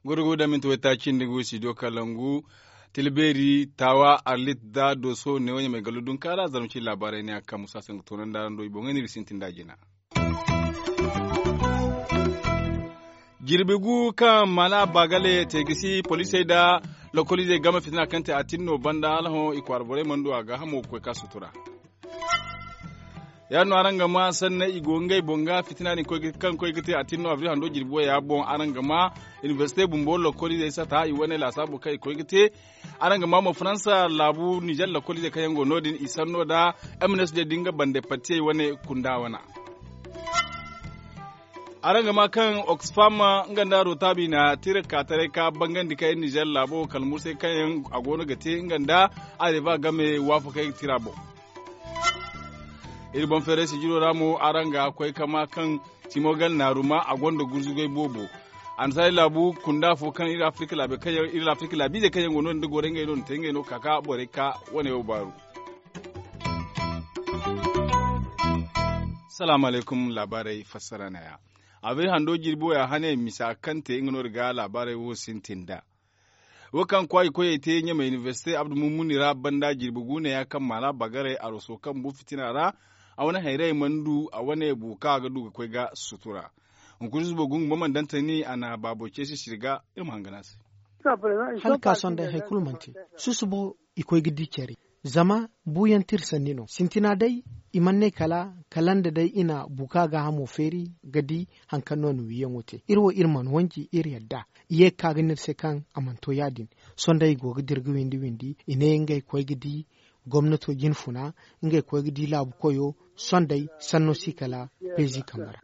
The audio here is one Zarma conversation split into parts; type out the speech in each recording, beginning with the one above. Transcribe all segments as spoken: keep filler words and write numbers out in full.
Gurgu da minti waytaaci nda ngu studio kalangu, tilbeeri taawa arlit da dooso ne wo ɲamay gallo dunkaara zarma ci laabaarey ne a ga ka musa se nga toonandi araŋ do i boŋey no iri sintin nd'a jina. Jirbi gu kaŋ maana baagale te ga si poliisey nda lokoliizey game fitina kaŋ te a tin no banda hala hõ i kwaara borey mana du a gaahamo ga koy ka sutura. Ya- din no araŋ ga maa sanney i go ngey boŋ ga fitina din kaŋ koy ga te a tin no abril hando jirbi waya boŋ araŋ ga maa inibersite bumbo lokoliizey sata i wane laasaabo kaŋ i koy ga te. Araŋ ga maa mo faransa laabu nizer lokoliizey kaŋ yaŋ go no- din i sanno nda m n s d da nga bande partiyey wane kunda wana. Araŋ ga maa kaŋ oxfam nga nda rotaabi na tira kaataray ka bangandi ka iri nizer laabo kala mursay kaŋ yaŋ a go no ga te nga nda areba game waafakey tira boŋ. Iri boŋ feeray sijiro ra mo araŋ ga koy ka maa kaŋ timogal naaruma a gonda gurzugay boobo. Annasaari laabu kunda fo kaŋ iri afirika laabiizey kaŋ yaŋ go no- din da goray ngey no na te ngey no ka ka borey ka wane wo baaru. Salaamu alaykum laabaarey fassara neeya. Abay hando jirbi waya hane misa kaŋ te nga no- din ga laabaarey wo sintin nd'a. Wo kaŋ kwaay koyey te ɲamay inibersite abdu mummuni ra banda jirbi gu neeya kaŋ maana bagaray aroso kaŋ bu fitina ra. A wane hayrayey mana du a wane bu kaŋ a ga du ga koy ga sutura. Hunkuna zubo gungu ma mana dantani a na baabo ceesi siri ga iri ma hangan a se. Hala ka sohõ day hari kulu mana te. Susubo i koy ga di care. Zama buuyaŋ tira sanni no sintina day. I mana ne kala kala nda day i na buka gaahamo feeri ga di hari kaŋ no a na wiiyaŋo te iri wo iri mana wanji iri yadda. I ye ga ka ga ne iri se kaŋ a mana to ya- din. Sohõ day i go ga dira ga windi windi i ne ngey koy ga di gomnato jinfuna. Ngey koy ga di laabu koyo. Sohõ day sanno si kala peezi kambe ra.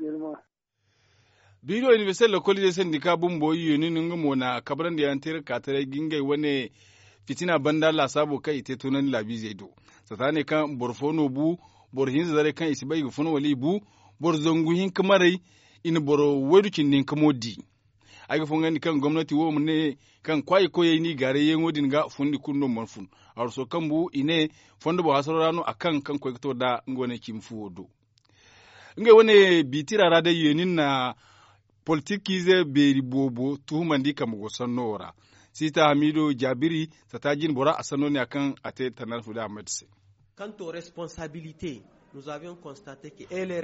Biiriyo inibersite lokoliizey sandika bumbo i yeeni no nga mo na kabrandi yaŋ te iri ga ka taray ga ngey wane fitina banda laasaabo kaŋ i te toonandi laabiizey do. Sata ne kaŋ boro fo no bu boro hinza zaray kaŋ i si bay i ga fun wala i bu boro zangu hinka maray. I na boro waydu cindi hinka mo di. Ay ga fongandi kaŋ gomnati wo ma ne kaŋ kwaayi koyey n'i gaaray yeeŋo din ga fundi kulu no mana fun. Arwaso kaŋ bu i ne fondo boŋ hasaro ra no a kaŋ kaŋ koy ga to nd'a nga wane cimi fuwo do. Ngey wane biitira ra day yeeni na politikiize beeri boobo tuhumandi kambe go sanno wo ra. Siita hamiido jaabiri sata jine bora a sanno ne ya kaŋ a te tannar fude ahmed se.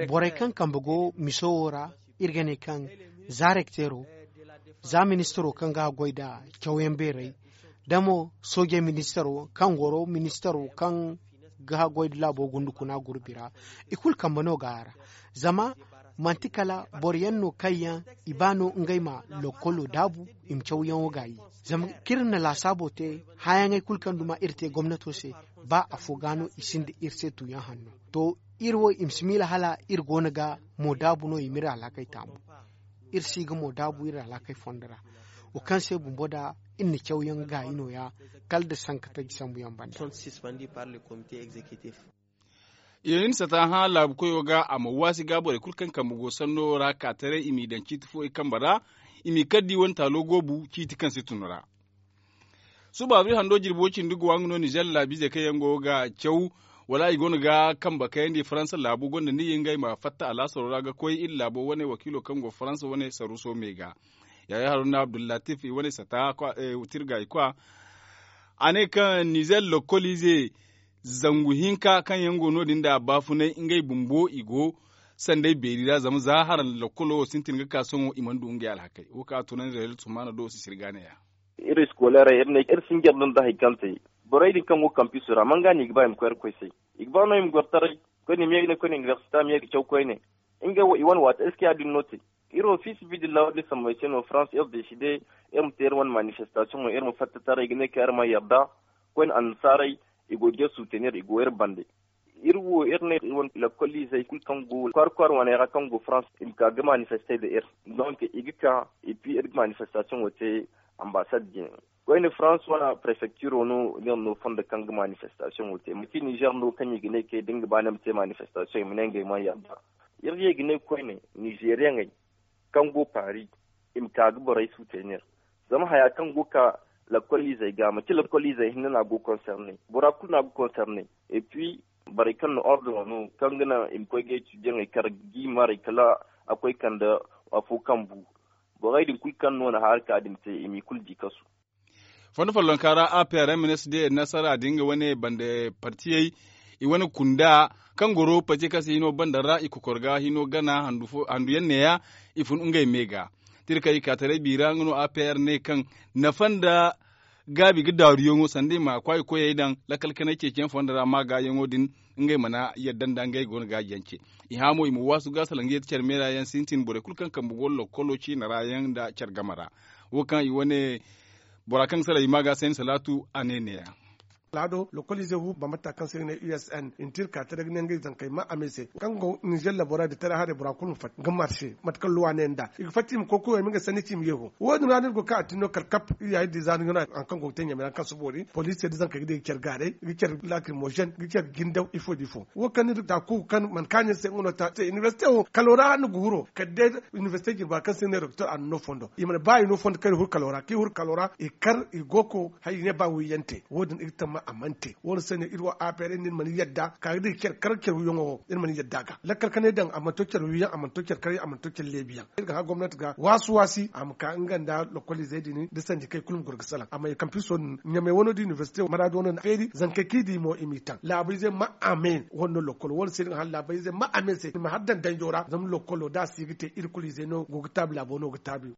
Borey kaŋ kambe go miso wo ra iri ga ne kaŋ za rekteero za ministaro kaŋ ga haggoy nda cawyaŋ beerey da mo soojey ministaro kaŋ goro ministaro kaŋ ga haggoy nda laabo gundukuna gurbi ra. I kulu kambe no ga a ra zama manti kala boro yaŋ no kaŋ yaŋ i ba no ngey ma lokkolo daabu i ma cawyaŋo gaayi. Zama kaŋ iri na laasaabo te hããyaŋey kulu kaŋ duma iri te gomnato se ba afo ga no i sinda iri se tuuyaŋ hanno. To iri wo i ma si miila hala iri go no ga moodaabu no i ma iri alhakey taamu. Iri si ga moodaabu iri alhakey fondo ra wo kaŋ se bumbo nda iri na cawyaŋ gaayi nooya kala nda sanka taji sambuyaŋ banda. Yeeni sata hã laabu koyo ga a ma waasi ga borey kulu kaŋ kambe go sanno ra ka taray i m'i daŋ ciiti fo i kambe ra. I m'i kar da i wane taalo goobu ciiti kaŋ si tun ra. Suba abril hando jirbi wo cindi ga wa nga no nizer laabiizey kaŋ yaŋ go ga caw wala i go no ga kambe kayandi faransa laabu gonda ni ye ngey ma fatta alaasaro ra ga koy iri laabo wane wakiilo kaŋ go faransa wane saruuso me ga. Yaya haruna abdullatif i wane sata tirga i kwa. A ne kaŋ nizer lokkoliize zangu hinka kaŋ yaŋ go no- din nda baafunay ngey bumbo i go sanday beeri ra zama za haraŋ lokkolo wo sintin ga ka sohõ i mana du ngey alhakey wo kaŋ a tunandi rayel sumaana do sisiri ga neeya. Iri iskoleerey iri ne iri sinjar no nda hari kaŋ te borey din kaŋ go kampiso ra man ga no i ga ba i ma koy iri koy se. I ga ba no i ma goro taray koyne i ma ye ga ne koyne inibersite a ma ye ga caw koyne. Ngey wo i wane waati eski ya- din no te? Iri wo fi sabilillah wo- din sambayse no france iri deside iri ma te iri wane manifestasiyoŋo iri ma fatta taray ga ne kaŋ iri mana yarda. Koyne annasaarey i go ga iri suutenir i go iri bande. Iri wo iri ne iri wane lakkoliizey kulu kaŋ go kwaara kwaara wane ra kaŋ go france i ma ka ga manifeste nda iri. Donk i ga ka et puis iri ga manifestasiyoŋo te. Ambasad jine koyne france wane prefektiro no iri no fondo kaŋ ga manifestasiyoŋo te manti nizer no kaŋ i ga ne kay da nga ba ni ma te manifestasiyoŋ i ma ne ngey mana yarda. Iri ye ga ne koyne nizeriyaŋey kaŋ go paris i ma ka ga borey suutenir. Zama haya kaŋ go ga ka Lakkol izey ga manti lakkol izey hinne no a go konserne, bora kulu no a go konserne. Et puis borey kaŋ na ordre no kaŋ ga naŋ i ma koy ga etudyaŋey kar ga i maray kala a koy kande afo kaŋ bu. Borey din kulu kaŋ no na haaraka din te i m'i kulu di kasu. Fondo follonka ra a p r m n s d nasara din ga wane bande partiyey i wane kunda kaŋ goro partiye kaŋ se hino banda ra i kokor ga hino gana handu yaŋ neeya. I fun ngey me ga tirkey kaataray biira nga no a p r ne kaŋ nafa nda gaabi ga daaruyaŋo sanda i ma kwaay koyey daŋ lakkal kanay ceeciyaŋ fondo ra maagaayaŋo din. Ngey mana yadda nda ngey go no ga jance i hã mo i ma waasu ga salaŋ ga yadda care meera yaŋ sintin borey kulu kaŋ kambe go lokkolo ciina ra yaŋ nda care game ra. Wo kaŋ i wane bora kaŋ ga salaŋ i ma ga sayni salaatu a ne neeya. Laado lokolize hu bambata kaŋ se ga ne u s n i na te iri ka taray ga ne ngey zankey ma a me se kaŋ go ninzeer labora nda taray haray bora kulu ma fatta ga marse mate kaŋ luwa ne nd'a i ga fatta i ma koy koyo i ma ngey sanni ci i ma ye ho. Wo- din ra no iri go kaŋ a tin no kala kap iri ya iri di za no iri no hari kaŋ go ga te ɲamey ra kaŋ si boori poliisey nda zankey ga di ga care gaaray ga care laakirmozen ga care jindaw ifo nda ifo. Wo kaŋ no iri ga ta kuuku kaŋ mana kaaɲ iri se nga no ta se inibersite wo kalo ra no ga huro kala day inibersite jirba kaŋ se ga ne doktor a na no fondo i mana ba i no fondo kaŋ iri huru kalo ra kaŋ iri huru kalo ra i kar i go ko hala i ne ba wiiyaŋ te wo- din iri ga tamma a mana te wo- din se no iri wo a beeray no iri mana yadda ka ga da i care kar care wiiyaŋo wo iri mana yadda a ga lakkal kanay daŋ a mana to care wiiyaŋ a mana to care karyaŋ a mana to care leebiyaŋ iri ga hã gomnati ga waasi waasi a ma ka nga nda lokoliizey din da sanji kaŋ i kulu ma goro ga salaŋ amma i kampiso din ɲamey wano da inibersite maraadi wano na feeri zankey kaŋ i di mo i m'i taŋ laabayzey ma a me wano lokolo wo- din se iri ga hã laabayzey ma a me se i ma har daŋ danjo ra zama lokolo da a si ga te iri kulu izey no go ga taabi laabo no ga taabi.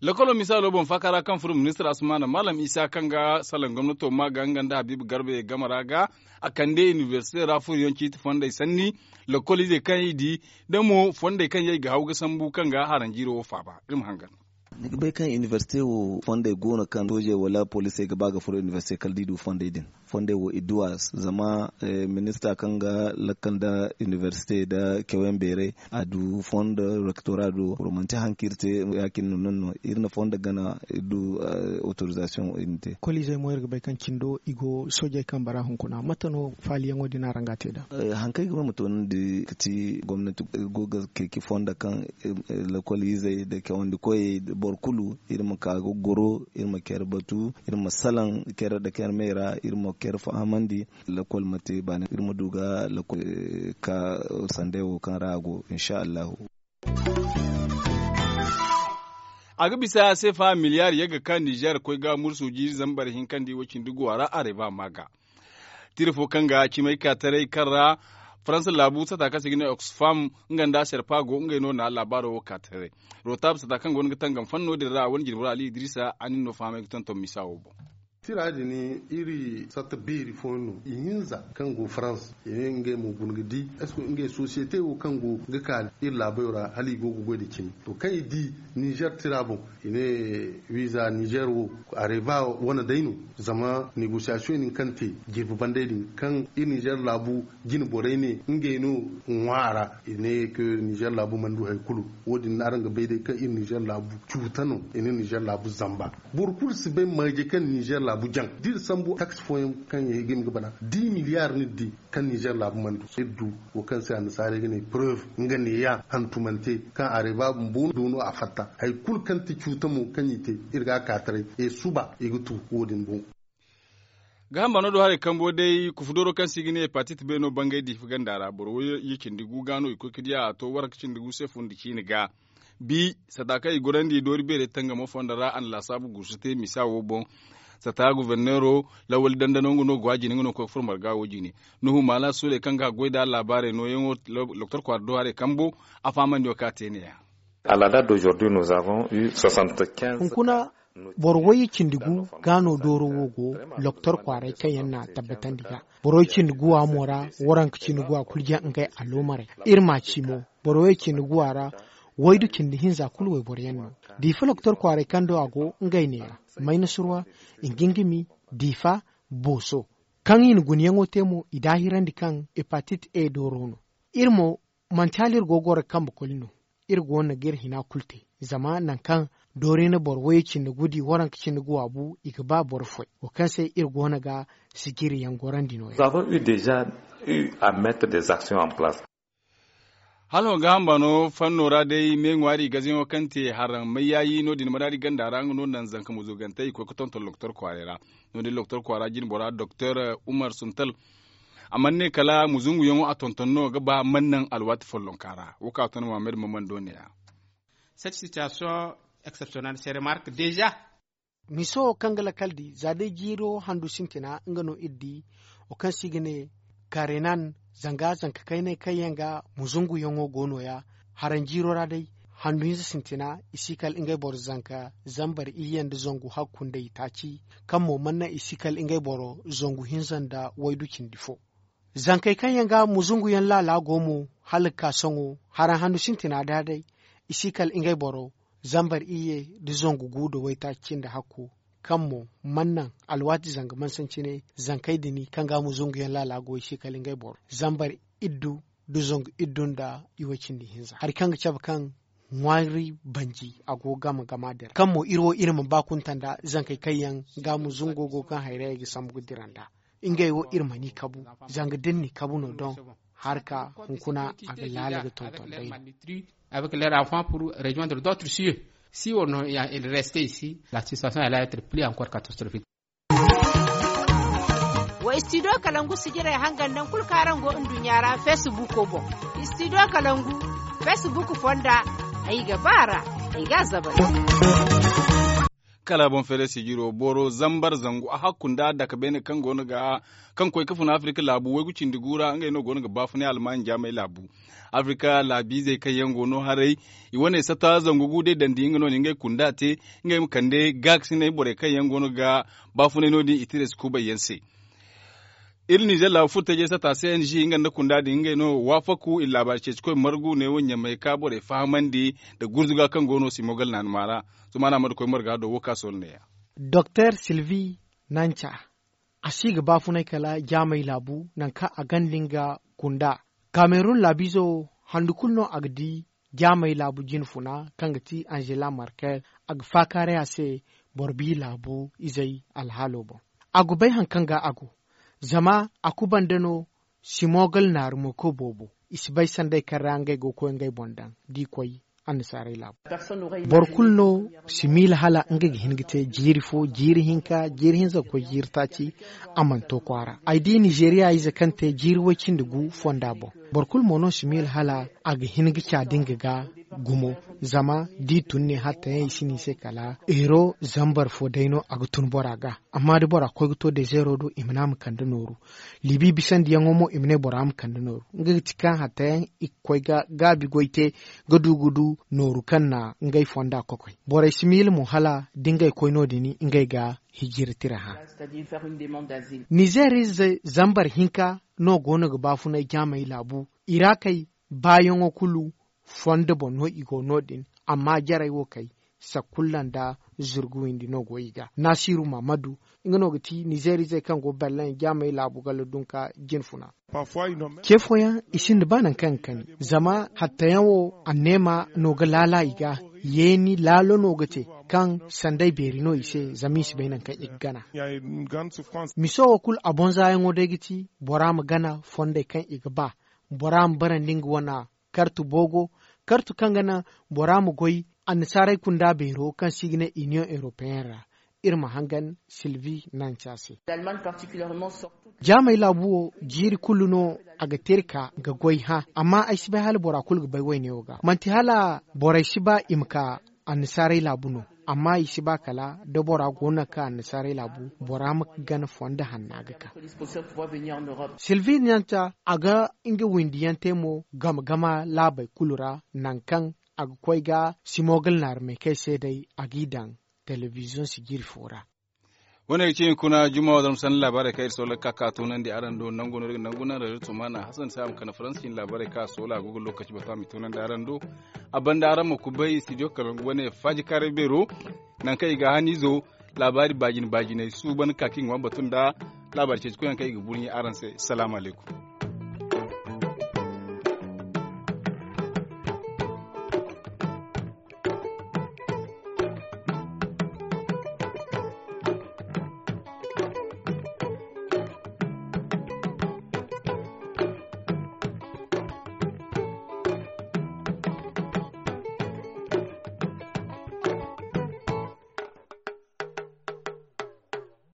Lokolo misaalo boŋ faaka ra kaŋ furo ministir asumaana maalam isa kaŋ ga salaŋ gomnato ma ga nga nda habiibu garbe game ra ga a kande inibersite ra furoyaŋ ciiti fondey sanni lokoliizey kaŋ i di da mo fondey kaŋ yaŋ i ga haw ga sambu kaŋ ga haranjiiro wo faaba iri ma hangan. Ni ga bay kaŋ inibersite wo fondey go no kaŋ soojey wala poliisey ga ba ga furo inibersite kala da i du fondey din. Fondey wo i du a zama minista kaŋ ga lakkal nda inibersite nda cawen beeray a du fondo rektora do boro manti hari kaŋ iri te ya- cine no iri na fondo gana iri du otorizasiyoŋ iri na te. Koliizey mo iri ga bay kaŋ cindo i go soojey kambe ra hunkuna mate no faaliyaŋo din araŋ ga a te nd'a? Hari kaŋ ay ga ba ma toonandi ga ti gomnati go ga ceeci fondo kaŋ lokoliizey nda cawandi koyey boro kulu iri ma ka ga goro iri ma care batu iri ma salaŋ care nda care me ra iri ma care fahamandi. Lakkol ma te baani iri ma du ga lakkol ka sanday wo kaŋ ra a go insa allahu. A ga bisa se fa miliyaari yagga ka nizeer koy ga mursu jiiri zambar hinka nda i wo cindi guwa ra a reeba ma ga. Tira fo kaŋ ga cimay ka taray kaŋ ra faransa laabu sata kaŋ se i ga ne oxfam nga nda serpa go ngey no na laabaaro wo ka taray. Rotab sata kaŋ go no ga tangam fanno din ra wane jirbi ra ali idrisa a nin no fahamay ga tonton misa wo boŋ. Tira din iri satta beeri fooyaŋ no i hinza kaŋ go farans i ne ngey mo guna ga di est ce que ngey sosiyete wo kaŋ go ga ka iri laabayo ra hala i go ga goy nda cimi to kaŋ i di nizer tira boŋ i ne wiiza nizer wo a reeba wane day no. Zama negosiyasiyoŋ din kaŋ te jirbi bandey din kaŋ iri nizer laabu jine borey ne ngey no ŋwa a ra i ne ke nizer laabu mana du hari kulu. Wo- din araŋ ga bay day kaŋ iri nizer laabu cuuta no i ne nizer laabu zamba. Boro kulu si bay marje kaŋ nizer laabu jaŋ da iri sambu taksi fooyaŋ kaŋ yaŋ i ga hima ga bana di miliyar no iri di kaŋ nizer laabu mana du iri du wo kaŋ se annasaarey ga ne preuve nga neeya hantumante kaŋ a reeba bumbo do no a fatta hari kulu kaŋ ti cuuta mo kaŋ i te iri ga a ka taray e suba i ga tu wo- din boŋ. Gaaham bano do haray kambo day kufu dooro kaŋ se i ga ne hepatit beeno bangay diifa ganda ra boro wayye cindi gu ga no i koy ga diya a to waranka cindi gu se fun nda ciine ga. Bi sata kaŋ i gorandi doori beerey tangamo fondo ra a na laasaabu guusu te misa wo boŋ. Sata goforneero lawali dandano nga no go a jine nga no ga koy ga furo marga wo jine. Nuhu maala suuley kaŋ ga a goy nda laabaarey nooyaŋo doktor kwaara do haray kambo a fahamandi wo kaŋ a te neeya. Hunkuna boro wayye cindi gu ga no dooro wo go loktor kwaaray kaŋ yaŋ na a tabbatandi ga. Boro wayye cindi gu a mo ra waranka cindi gu a kulu jaŋ ngey aloomarey. Iri ma ci mo boro wayye cindi gu a ra waydu cindi hinza kulu wayboro yaŋ no. Diifa loktor kwaaray kaŋ do a go ngey neera maynasurwa, ingingimi, diifa, booso. Kaŋ i na gunayaŋo te mo i daahirandi kaŋ hepatit e dooro no. Iri mo manti hala iri go ga goro ga kambe koli no. Iri go no ga iri hina kulu te zama nangu kaŋ doori na boro wayye cindi gu di waranka cindi gu a bu i ga ba boro foy wo kaŋ se iri go no ga sijiri yaŋ gorandi no- ya. Hala ho ga hamba no fanno ra day me ŋwaari gazayaŋo kaŋ te haraŋ mayyaayi no- din maraadi ganda ra nga no naŋ zanka muzugantey i koy ga tonton lokotor kwaaray ra. No- din lokotor kwaara jine bora doktor umar suntal a mana ne kala muzunguyaŋo a tonton no ga ba mana naŋ alwaati follonka ra wo kaŋ a ton muhammad maman do ne- ya. Cette situation exceptionnelle se remarque déjà. Miso wo kaŋ ga lakkal di za day jiiro handu sintina nga no iri di wo kaŋ se i ga ne karenan zanga zanka kaynay kaŋ yaŋ ga muzunguyaŋo go no- ya. Haraŋ jiiro ra day handu hinza sintina i si kala ngey boro zanka zambar iyye nda zangu hakku nda itaaci kaŋ mo mana naŋ i si kala ngey boro zangu hinza nda waydu cindi fo. Zankey kaŋ yaŋ ga muzungu yaŋ laala go mo hala ga ka sohõ haraŋ handu sintina da day i si kala ngey boro zambar iyye nda zangu gu nda waytaaci cindi hakku kaŋ mo mana naŋ alwaati zanga mansancine zankey din kaŋ ga muzungu yaŋ laala go i si kala ngey boro zambar iddu nda zangu iddu nda iway cindi hinza hari kaŋ ga cabe kaŋ ŋwaari banji a go ga gama gama dira kaŋ mo iri wo iri ma ba kunta nda zankey kaŋ yaŋ ga muzungo go kaŋ hayray ga sambu ga dira nda ngey wo iri ma ni kabu zanga da ni ni kabu no doŋ harka hunkuna a ga laala ga tonton day no. Avec leurs enfants pour rejoindre d'autres cieux si on il reste ici la situation allait être plus encore catastrophique. Wa studio kalangu sijirey hangan naŋ kulu kaŋ araŋ go nduɲɲa ra facebook boŋ. Studio kalangu facebook fonda ay ga ba ra ay ga a zabari. Kala boŋ feere sijiro boro zambar zangu a hakku nda daka beene kaŋ go no ga kaŋ koy ga fun afirika laabu waygu cindi gu ra ngey no go no ga baafunay almaani jaamay laabu. Afirika laabiizey kaŋ yaŋ go no haray i wane sata zangu gu day dandi nga no na ngey kunda te ngey ma kande gaakasinay borey kaŋ yaŋ go no ga baafunay no- din i tires kubay yaŋ se. Iri nizer laabu furo tajey sata cng nga nda kunda din ngey no waafaku iri laabaari ceeci koy margu ne wo ɲamay ka borey fahamandi nda gurzuga kaŋ go no simogal naanuma ra. Zuma no a mana koy marga do wo ka sohõ neeya. Doktor silvi nanca a si ga baafunay kala jaamey laabu nangu kaŋ a ganda nga kunda kamerun laabiizo handu kulu no a ga di jaamey laabu jine funa kaŋ ga ti angela markel a ga faakaaray a se boro bi laabu izey alhaalo boŋ. A ga bay hari kaŋ ga a go zama a kubanda no simogal naaru mo koy boobo i si bay sanday kaŋ ra ngey go ga koy ngey boŋ daŋ da i koy annasaarey laabu. Boro kulu no si miila hala ngey ga hin ga te jiiri fo jiiri hinka jiiri hinza ga koy jiiri taaci a mana to kwaara ay di nizeeriya ize kaŋ te jiiri way-cindi gu fonda boŋ. Boro kulu mo no si miila hala a ga hin ga ca da nga ga gumo zama da i tun ne hatta yaŋ i si ne i se kala eero zambar fo day no a ga tun bora ga. Amma da bora koy ga to dezeero do i ma ne a ma kande nooru libi bisandiyaŋo mo i ma ne bora ma kande nooru nga ga ti kaŋ hatta yaŋ i ga koy ga gaabi goy te ga du ga du nooru kaŋ na ngey fonda kokoy. Borey si miila mo hala da ngey koy no- din ngey ga hijira tira hã. Nizeer ize zambar hinka no go no ga baafunay jaamey laabu i ra kay baayaŋo kulu fondo boŋ no i go no- din amma jarey wo kay sakulla nda zurgu windi no go i ga naasiru maamadu nga no ga ti nizeer izey kaŋ go berlin jaamey laabu galla dunka jine funa. Ce fooyaŋ i sinda ba nangu kaŋ ga kani zama hattayaŋ wo anneema no ga laala i ga yeeni laalo no ga te kaŋ sanday beeri no i se zama i si bay nangu kaŋ i ga gana. Miso wo kulu a bonzaayaŋo day ga ti bora ma gana fondey kaŋ i ga ba bora ma barandi nga wana kartu boogo kartu kaŋ ga naŋ bora ma goy annasaarey kunda beero kaŋ se i ga ne union europeyen ra. Iri ma hangan silvi nanca se. Jaamey laabu wo jiiri kulu no a ga te iri ka ga goy hã amma ay si bay hala bora kulu ga bay wayne wo ga manti hala borey si ba i ma ka annasaarey laabu no. Amma i si ba kala da bora go no nangu kaŋ annasaarey laabu bora ma gana fondo hanna ga ka. Silvi nanca a ga nga windiyaŋ te mo game gama laabey kulu ra nangu kaŋ a ga koy ga simogal naarumey kaŋ ay se day a g'i daŋ telebiziyoŋ sijiri fo ra. Wane ga ci hunkuna juma wa zarma sanda laabaarey kaŋ iri soola ga ka ka tunandi araŋ do nangu no iri ga nangu naŋ rezo tumana hasan se a ma kande faransi cine laabaarey kaŋ a soola a go ga lookaci batu a ma i tunandi araŋ do. A banda araŋ ma kubay studio kalangu wane faaji kaaray beero nangu kaŋ i ga haniizo laabaari baajine baajiney suuban ga ka kaŋ i ga ŋwa batu nda laabaari ceeci koyyaŋ kaŋ i ga burɲe araŋ se. Salaamu alaykum.